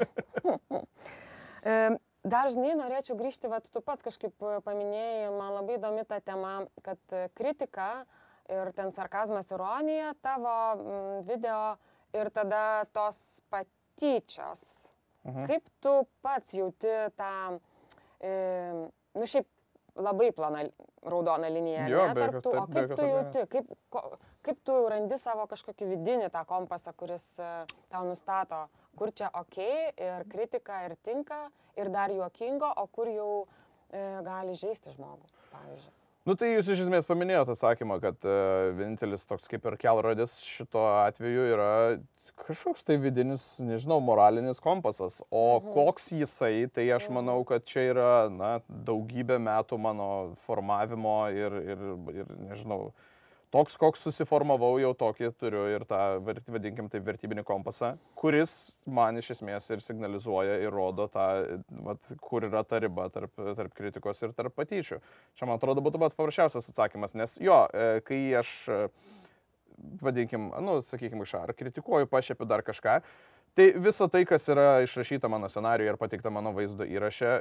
Dar, žinai, norėčiau grįžti, vat, tu pats kažkaip paminėjai, man labai įdomi ta tema, kad kritika ir ten sarkazmas, ironija tavo video ir tada tos patyčios. Mhm. Kaip tu pats jauti tą, e, nu šiaip, labai plona raudona linija, jo, ne, tarp tų, o kaip tu jauti, kaip, ko, kaip tu randi savo kažkokį vidinį tą kompasą, kuris uh, tau nustato, kur čia ok ir kritika ir tinka ir dar juokingo, o kur jau e, gali žaisti žmogų, pavyzdžiui. Nu tai jūs iš esmės paminėjote atsakymą, kad uh, vienintelis toks kaip ir kelrodis šito atveju yra kažkoks tai vidinis, nežinau, moralinis kompasas. O mhm. koks jisai, tai aš manau, kad čia yra, na, daugybė metų mano formavimo ir, ir, ir nežinau, toks, koks susiformavau, jau tokį turiu ir tą, vadinkim, tai vertybinį kompasą, kuris man iš esmės ir signalizuoja ir rodo tą, vat, kur yra ta riba tarp, tarp kritikos ir tarp patyčių. Čia, man atrodo, būtų pats paprasčiausias atsakymas, nes jo, kai aš, vadinkim, nu, sakykim, ar kritikuoju, pašiepiu dar kažką, tai visa tai, kas yra išrašyta mano scenariuje ir pateikta mano vaizdo įraše,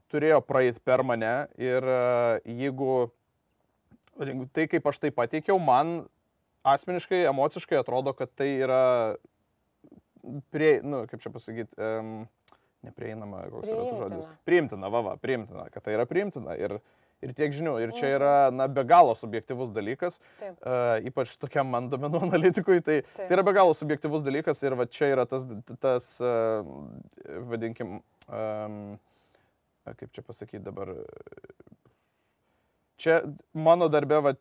turėjo praeiti per mane ir jeigu tai, kaip aš tai pateikiau, man asmeniškai, emociškai atrodo, kad tai yra, prie, nu, kaip čia pasakyti, um, neprieinama, koks yra tas žodis. Priimtina, va, va, priimtina, kad tai yra priimtina ir, ir tiek žinių. Ir čia yra, na, be galo subjektyvus dalykas, uh, ypač tokiam man duomenų analitikui, tai, tai yra be galo subjektyvus dalykas ir va čia yra tas, tas uh, vadinkim, um, kaip čia pasakyti dabar, čia mano darbe, va,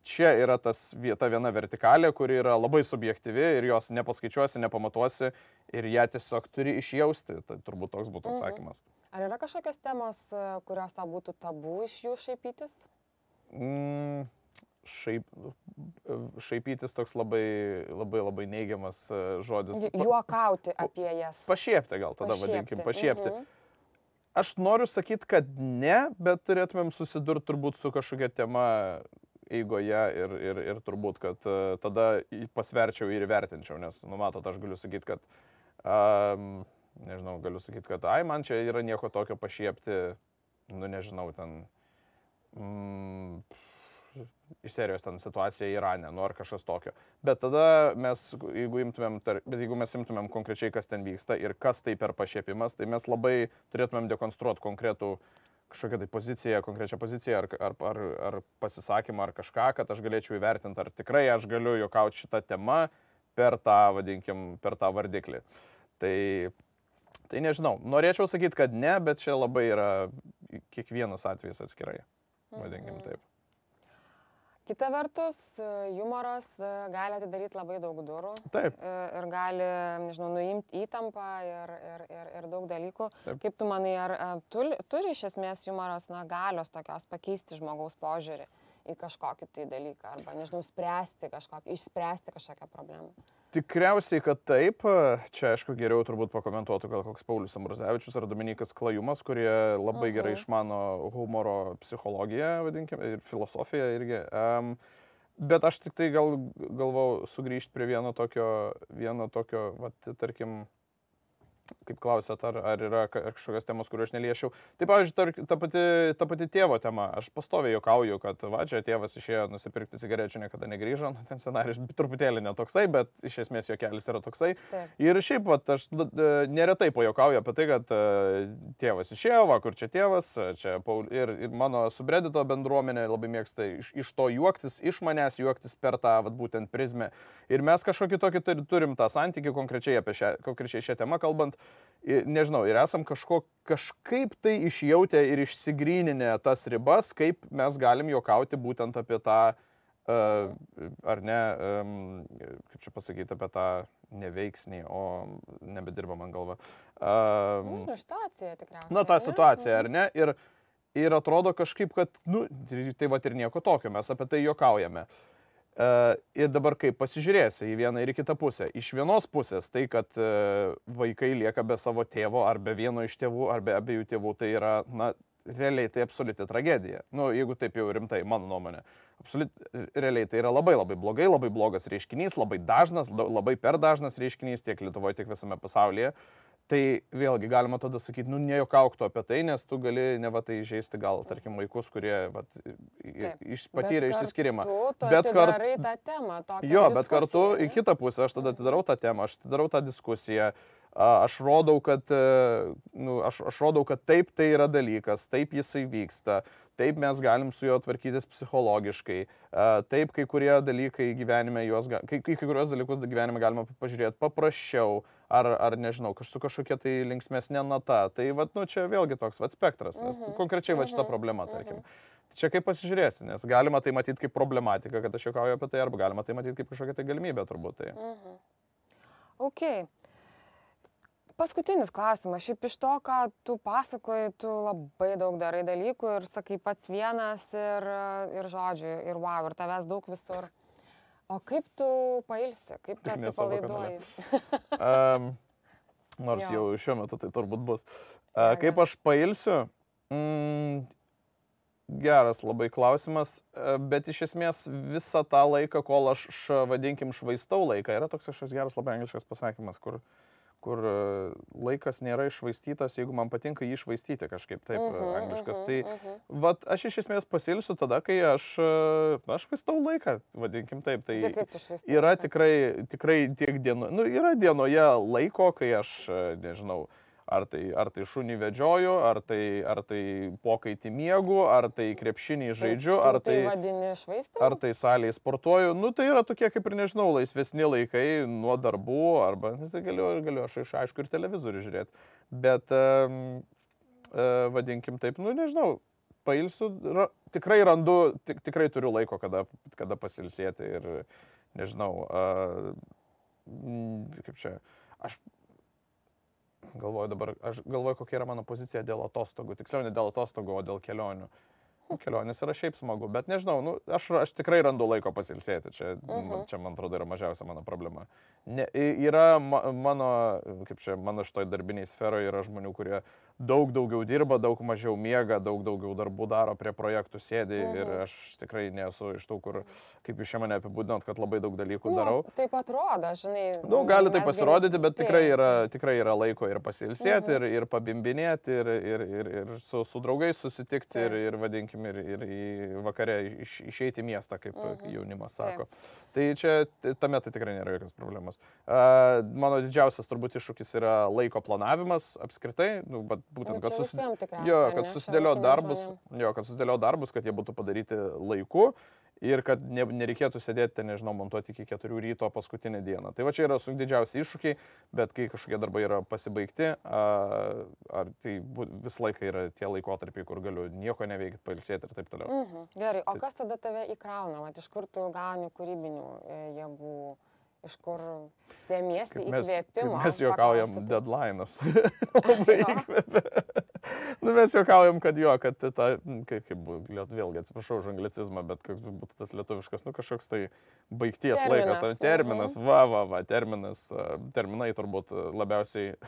čia yra tas vieta viena vertikalė, kuri yra labai subjektyvi ir jos nepaskaičiuosi, nepamatuosi ir ją tiesiog turi išjausti. Tai turbūt toks būtų atsakymas. Ar yra kažkokios temos, kurios tau būtų tabu iš jų šaipytis? Mm, šaip, šaipytis toks labai, labai, labai neigiamas žodis. Juokauti apie jas. Pašiepti gal tada pašiepti. vadinkim, pašiepti. Mhm. Aš noriu sakyti, kad ne, bet turėtumėm susidurti turbūt su kažkokia tema eigoje ir, ir, ir turbūt, kad uh, tada pasverčiau ir įvertinčiau, nes, nu, matot, aš galiu sakyti, kad, um, nežinau, galiu sakyti, kad, ai, man čia yra nieko tokio pašiepti, nu, nežinau, ten, mm, iš serijos ten situacija Irane, nu, ar kažkas tokio. Bet tada mes, jeigu imtumėm, tar, bet jeigu mes imtumėm konkrečiai, kas ten vyksta ir kas tai per pašiepimas, tai mes labai turėtumėm dekonstruoti konkretų kažkokią tai poziciją, konkrečią poziciją, ar, ar, ar, ar pasisakymą, ar kažką, kad aš galėčiau įvertinti, ar tikrai aš galiu juokauti šitą temą per tą, vadinkim, per tą vardiklį. Tai, tai nežinau, norėčiau sakyti, kad ne, bet čia labai yra kiekvienas atvejis atskirai, vadinkim taip. Kita vertus, humoras gali atidaryti labai daug durų. Taip. Ir gali, nežinau, nuimti įtampą ir, ir, ir, ir daug dalykų. Taip. Kaip tu manai, ar tu, turi iš esmės humoras, na, galios tokios pakeisti žmogaus požiūrį į kažkokį tai dalyką, arba, nežinau, spręsti kažkokį, išspręsti kažkokią problemą? Tikriausiai, kad taip. Čia, aišku, geriau turbūt pakomentuotų gal koks Paulius Ambrazevičius ar Dominikas Klajumas, kurie labai uh-huh. gerai išmano humoro psichologiją, vadinkim, ir filosofiją irgi. Um, bet aš tik tai gal, galvau sugrįžti prie vieno tokio, vieno tokio, vat, tarkim, kaip klausėt, ar, ar yra kažkokios temos, kuriuo aš neliešiau. Tai, pavyzdžiui, ta pati, ta pati tėvo tema. Aš pastoviai juokauju, kad va, čia tėvas išėjo nusipirkti cigarečių, niekada negrįžo. Ten scenarijus truputėlį netoksai, bet iš esmės juokelis yra toksai. Taip. Ir šiaip, va, aš neretai pajuokauju apie tai, kad tėvas išėjo, va, kur čia tėvas, čia Paul, ir, ir mano subreddito bendruomenė labai mėgsta iš, iš to juoktis, iš manęs juoktis per tą, va, būtent prizmę. Ir mes kažkokį tokį turim tą santykį konkrečiai apie šią, konkrečiai šią temą kalbant. Nežinau, ir esam kažko, kažkaip tai išjautę ir išsigryninę tas ribas, kaip mes galim juokauti būtent apie tą, uh, ar ne, um, kaip čia pasakyti, apie tą neveiksnį, o nebedirba man galva. Uh, nu, situacija tikriausiai. Na, tą situaciją, ar ne? Ir, ir atrodo kažkaip, kad, nu, tai va ir nieko tokio, mes apie tai juokaujame. Uh, ir dabar kaip pasižiūrėsi į vieną ir į kitą pusę. Iš vienos pusės tai, kad uh, vaikai lieka be savo tėvo, ar be vieno iš tėvų, ar be abiejų tėvų, tai yra, na, realiai tai absoliuti tragedija. Nu, jeigu taip jau rimtai, mano nuomonė. Absoliut, realiai tai yra labai labai blogai, labai blogas reiškinys, labai dažnas, labai per dažnas reiškinys tiek Lietuvoje, tiek visame pasaulyje. Tai vėlgi galima tada sakyti, nu, nejuokauk tu apie tai, nes tu gali ne va tai žaisti gal, tarkim, vaikus, kurie va, iš, patyrė išsiskyrimą. Bet kartu tą temą, jo, bet kartu į kitą pusę aš tada atidarau tą temą, aš atidarau tą diskusiją, aš rodau, kad, nu, aš, aš rodau, kad taip tai yra dalykas, taip jisai vyksta, taip mes galim su juo tvarkytis psichologiškai, taip kai kurie dalykai gyvenime juos, kai, kai kurios dalykus gyvenime galima pažiūrėti paprasčiau, ar, ar nežinau, kaž, su kažkokia tai linksmesnė nata. Tai vat, nu, čia vėlgi toks vat, spektras, nes uh-huh. konkrečiai vat, šita problema, tarkim. Uh-huh. Čia kaip pasižiūrėsi, nes galima tai matyti kaip problematiką, kad aš juokauju apie tai, arba galima tai matyti kaip kažkokia tai galimybė turbūt. Tai. Uh-huh. Ok. Paskutinis klausimas. Šiaip iš to, ką tu pasakoji, tu labai daug darai dalykų ir sakai pats vienas ir, ir žodžiu, ir wow, ir tavęs daug visur. O kaip tu pailsi, kaip tu atsipalaiduoji? um, nors jo. Jau šiuo metu tai turbūt bus. Uh, kaip aš pailsiu? Mm, geras labai klausimas, bet iš esmės visą tą laiką, kol aš, š, vadinkim, švaistau laiką, yra toks kažkoks geras labai angliškas pasakymas, kur, kur laikas nėra iššvaistytas, jeigu man patinka jį iššvaistyti kažkaip taip uh-huh, angliškas. Uh-huh, tai uh-huh. vat, aš iš esmės pasilsiu tada, kai aš, aš švaistau laiką, vadinkim taip. Tai, tai kaip tu švaistai? Yra tikrai, tikrai tiek dieno, nu, yra dienoje laiko, kai aš, nežinau, Ar tai, ar tai šunį vedžioju, ar tai, ar tai pokaitį miegu, ar tai krepšinį žaidžiu, tai, ar tai, tai, vadini švaistymu? Ar tai salėje sportuoju. Nu, tai yra tokie, kaip ir nežinau, laisvesni laikai nuo darbų, arba, nu, tai galiu, galiu aš aišku ir televizorių žiūrėti. Bet, um, uh, vadinkim taip, nu, nežinau, pailsiu, ra, tikrai randu, tik, tikrai turiu laiko, kada, kada pasilsėti ir, nežinau, uh, kaip čia, aš... Galvoju dabar, aš galvoju, kokia yra mano pozicija dėl atostogų. Tiksliau, ne dėl atostogų, o dėl kelionių. Nu, kelionės yra šiaip smagu, bet nežinau, nu, aš, aš tikrai randu laiko pasilsėti. Čia, uh-huh. čia, man atrodo, yra mažiausia mano problema. Ne, yra ma, mano, kaip čia, mano šitoj darbiniai sferoje yra žmonių, kurie daug daugiau dirba, daug mažiau miega, daug daugiau darbų daro, prie projektų sėdi uh-huh. ir aš tikrai nesu iš tų, kur, kaip jūs čia mane apibūdinot, kad labai daug dalykų nu, darau. Taip atrodo, žinai. Nu, gali tai pasirodyti, bet tikrai yra, tikrai yra laiko ir pasilsėti, uh-huh. ir, ir pabimbinėti, ir, ir, ir, ir su, su draugais susitikti, taip. ir, ir vadinkim, ir, ir į vakarę iš, išeiti į miestą, kaip uh-huh. jaunimas sako. Taip. Tai čia tame tai tikrai nėra jokios problemos. Uh, mano didžiausias turbūt iššūkis yra laiko planavimas apskritai, nu, bet būtent, kad, susi... jo, kad susidėlio darbus, jo, kad susidėlio darbus, kad jie būtų padaryti laiku ir kad ne, nereikėtų sėdėti, nežinau, montuoti iki keturių ryto paskutinę dieną. Tai va čia yra su didžiausi iššūkiai, bet kai kažkokie darbai yra pasibaigti, a, ar tai visą laiką yra tie laikotarpiai, kur galiu nieko neveikti, pailsėti ir taip toliau. Mhm. Gerai, o kas tada tave įkrauna? Vat, iš kur tu gauni kūrybinių jėgų? Iš kur semiesi įkvėpimo? Mes juokaujam deadline'as. Labai įkvėpia. Nu, mes juokaujam, kad jo, kad ta, kaip, kaip vėlgi atsiprašau už anglicizmą, bet koks būtų tas lietuviškas, nu kažkoks tai baigties terminas. laikas, terminas, mhm. va, va, va, terminas, terminai turbūt labiausiai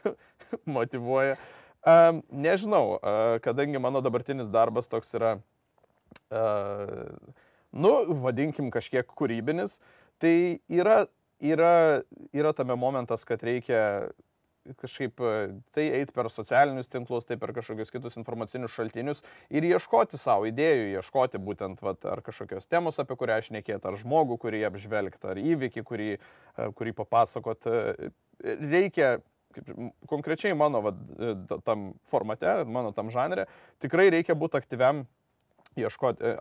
motyvuoja. Um, nežinau, uh, kadangi mano dabartinis darbas toks yra, uh, nu, vadinkim kažkiek kūrybinis, tai yra Yra, yra tame momentas, kad reikia kažkaip tai eiti per socialinius tinklus, tai per kažkokius kitus informacinius šaltinius ir ieškoti savo idėjų, ieškoti būtent vat, ar kažkokios temos, apie kurią aš šnekėt, ar žmogų, kurį apžvelgti, ar įvykį, kurį, kurį papasakot. Reikia, kaip, konkrečiai mano vat, tam formate, mano tam žanre, tikrai reikia būti aktyviam ieškoti,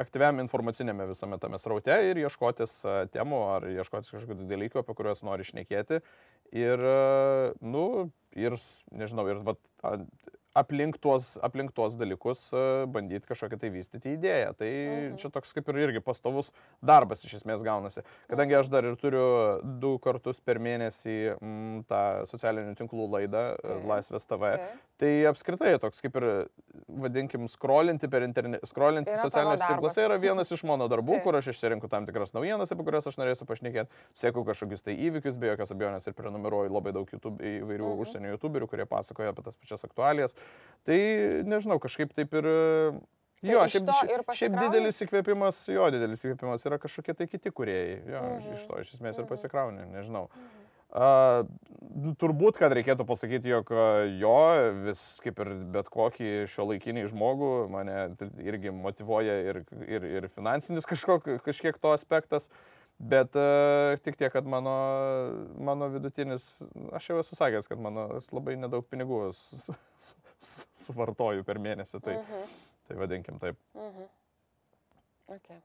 aktyviam informacinėme visame tame sraute ir ieškotis temų ar ieškotis kažkokių dalykų, apie kuriuos nori šnekėti. Ir, nu, ir, nežinau, ir vat, aplink tuos, aplink tuos dalykus bandyti kažkokią tai vystyti idėją. Tai mhm. čia toks kaip ir irgi pastovus darbas iš esmės gaunasi. Kadangi aš dar ir turiu du kartus per mėnesį m, tą socialinių tinklų laidą tai. Laisvės T V, tai. tai apskritai toks kaip ir, vadinkim, skrolinti per internetą, skrolinti socialiniuose tinkluose yra vienas iš mano darbų, tai. Kur aš išsirinku tam tikras naujienas, apie kurias aš norėsiu pašnekėti, sėku kažkokius tai įvykius, be jokios abejonės ir prenumeruoju labai daug YouTube, įvairių mhm. užsienio YouTuberių, kurie pasakoja apie tas pačias aktualijas. Tai, nežinau, kažkaip taip ir... Tai jo, šiaip, šiaip didelis įkvėpimas, jo, didelis įkvėpimas yra kažkokie tai kiti kūrėjai. Jo, mhm. iš to iš esmės ir pasikrauni, nežinau. Mhm. Uh, turbūt, kad reikėtų pasakyti, jog jo, vis kaip ir bet kokį šiuolaikinį žmogų, mane irgi motyvuoja ir, ir, ir finansinis kažkok, kažkiek to aspektas. Bet uh, tik tiek, kad mano, mano vidutinis, aš jau esu sakęs, kad mano labai nedaug pinigų su, su, su, suvartoju per mėnesį, tai, mhm. tai vadinkim taip. Mhm. Okay.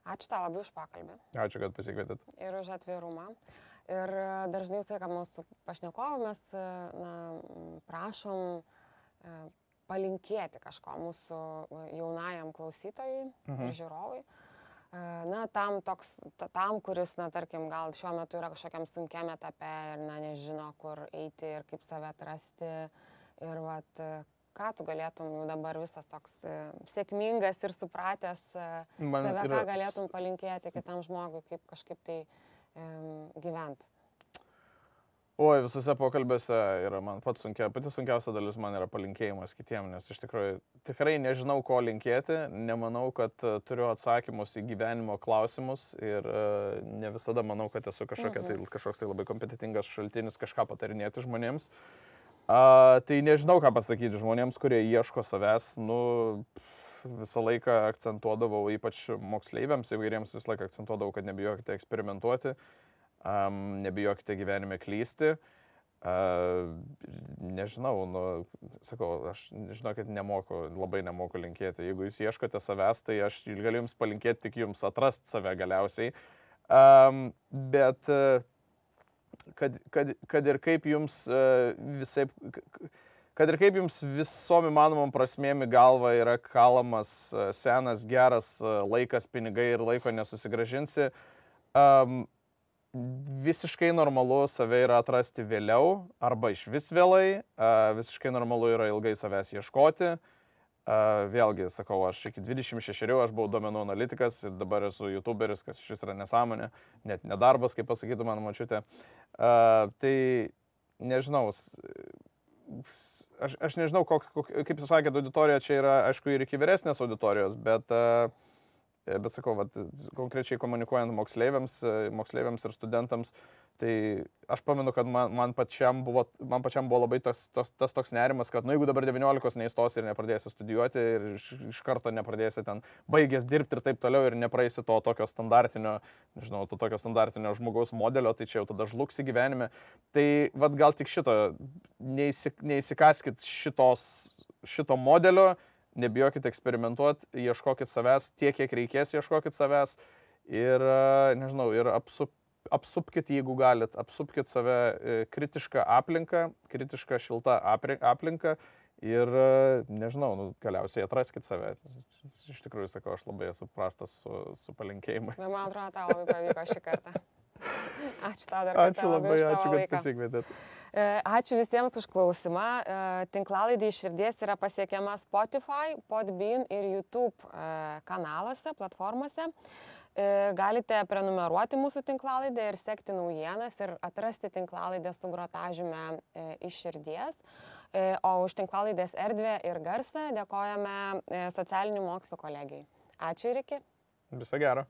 Ačiū tau labai už pokalbį. Ačiū, kad pasikvietėt. Ir už atvirumą. Ir dažnai visai, kad mūsų pašnekovų mes na, prašom palinkėti kažko mūsų jaunajam klausytojui mhm. ir žiūrovui. Na, tam, toks, tam, kuris, na, tarkim, gal šiuo metu yra kažkokiam sunkiam etape ir, na, nežino, kur eiti ir kaip save atrasti. Ir, vat, ką tu galėtum jau dabar visas toks sėkmingas ir supratęs Man save, yra... ką galėtum palinkėti kitam žmogui, kaip kažkaip tai um, gyventi? Oi, visose pokalbėse yra man pats sunkia, pati sunkiausia dalis man yra palinkėjimas kitiem, nes iš tikrųjų tikrai nežinau, ko linkėti, nemanau, kad uh, turiu atsakymus į gyvenimo klausimus ir uh, ne visada manau, kad esu kažkokia, mhm. tai, kažkoks tai labai kompetitingas šaltinis kažką patarinėti žmonėms. Uh, tai nežinau, ką pasakyti žmonėms, kurie ieško savęs, nu, visą laiką akcentuodavau, ypač moksleiviams įvairiems visą laiką akcentuodavau, kad nebijokite eksperimentuoti, um, nebijokite gyvenime klysti. Uh, nežinau, nu, sakau, aš žinau, kad nemoku, labai nemoku linkėti. Jeigu jūs ieškote savęs, tai aš galiu jums palinkėti tik jums atrast save galiausiai. Um, bet... Uh, Kad, kad, kad ir kaip jums visai, kad ir kaip jums visom įmanomom prasmėm į galvą yra kalamas senas, geras laikas, pinigai ir laiko nesusigražinsi, um, visiškai normalu save yra atrasti vėliau arba iš vis vėlai, uh, visiškai normalu yra ilgai savęs ieškoti. Uh, vėlgi, sakau, aš iki dvidešimt šešerių aš buvau duomenų analitikas ir dabar esu youtuberis, kas iš vis yra nesąmonė, net nedarbas, kaip pasakytų mano močiutė. Uh, tai nežinau, aš, aš nežinau, kok, kok, kaip jūs sakėte, auditorija čia yra, aišku, ir iki vyresnės auditorijos, bet, uh, bet sakau, vat, konkrečiai komunikuojant moksleiviams, moksleiviams ir studentams, tai aš pamenu, kad man, man, pačiam buvo, man pačiam buvo labai tas, tas, tas toks nerimas, kad nu, jeigu dabar devyniolikos neįstosi ir nepradėsi studijuoti ir iš, iš karto nepradėsi ten baigęs dirbti ir taip toliau ir nepraeisi to tokio standartinio, nežinau, to tokio standartinio žmogaus modelio, tai čia jau tada žlugsi gyvenime. Tai vad gal tik šito, neįsik, neįsikaskit šitos, šito modelio, nebijokit eksperimentuoti, ieškokit savęs tiek, kiek reikės, ieškokit savęs ir, nežinau, ir apsup apsupkit, jeigu galit, apsupkit save kritišką aplinką, kritišką šiltą aplinką ir, nežinau, nu, galiausiai atraskit save. Iš tikrųjų, sakau, aš labai esu prastas su, su palinkėjimais. Man atrodo, tau labai pavyko šį kartą. Ačiū tau dar kartą. Ačiū labai, ačiū, kad pasikvietėt. Ačiū visiems už klausimą. Tinklalaidė Iš širdies yra pasiekiama Spotify, Podbean ir YouTube kanaluose, platformose. Galite prenumeruoti mūsų tinklalaidę ir sekti naujienas ir atrasti tinklalaidę su grotažyme Iš širdies. O už tinklalaidės erdvę ir garsą dėkojame socialinių mokslų kolegijai. Ačiū ir iki. Viso gero.